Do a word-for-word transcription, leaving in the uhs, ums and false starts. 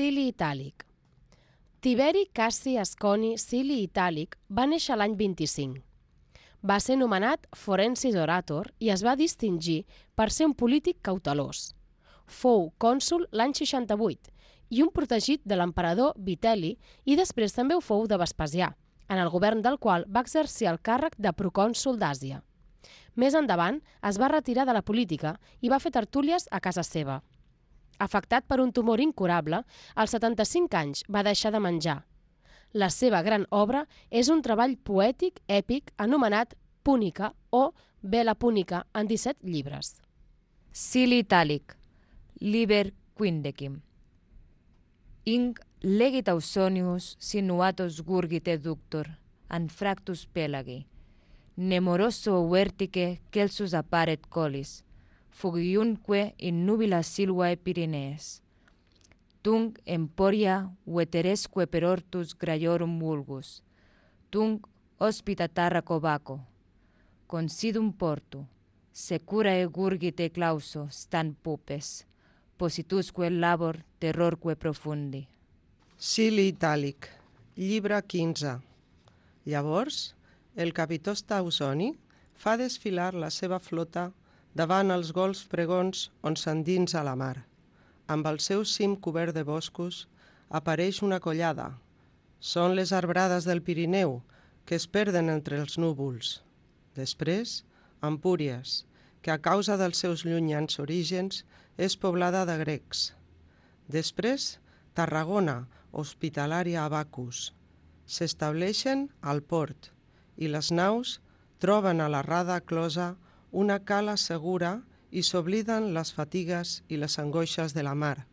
Cili Itàlic. Tiberi Cassi Asconi Cili Itàlic va néixer l'any vint-i-cinc. Va ser nomenat Forensis Orator i es va distingir per ser un polític cautelós. Fou cònsol l'any seixanta-vuit i un protegit de l'emperador Vitel·li i després també ho fou de Vespasià, en el govern del qual va exercir el càrrec de procònsol d'Àsia. Més endavant es va retirar de la política i va fer tertúlies a casa seva. Afectat per un tumor incurable, als setanta-cinc anys va deixar de menjar. La seva gran obra és un treball poètic èpic anomenat Púnica o Vela Púnica en disset llibres. Cili Itàlic, liber quindecim. Inc legit Ausonius sinuatus gurgite ductor, anfractus pelagi. Nemoroso vertice celsus apparet colis, fugiunque in nubila silvae Pyrenees. Tunc emporia veteresque per ortus graiorum vulgus, tunc hospita Tarraco vaco. Considum portu, securae gurgite clauso stan pupes, positusque labor terrorque profundi. Cili Itàlic, llibre quinze. Llavors, el capitó Ausoni fa desfilar la seva flota davant els golfs pregons on s'endinsa la mar. Amb el seu cim cobert de boscos apareix una collada. Són les arbrades del Pirineu que es perden entre els núvols. Després, Empúries, que a causa dels seus llunyans orígens és poblada de grecs. Després, Tarragona, hospitalària a Bacus. S'estableixen al port i les naus troben a la rada closa una cala segura i s'obliden les fatigues i les angoixes de la mar.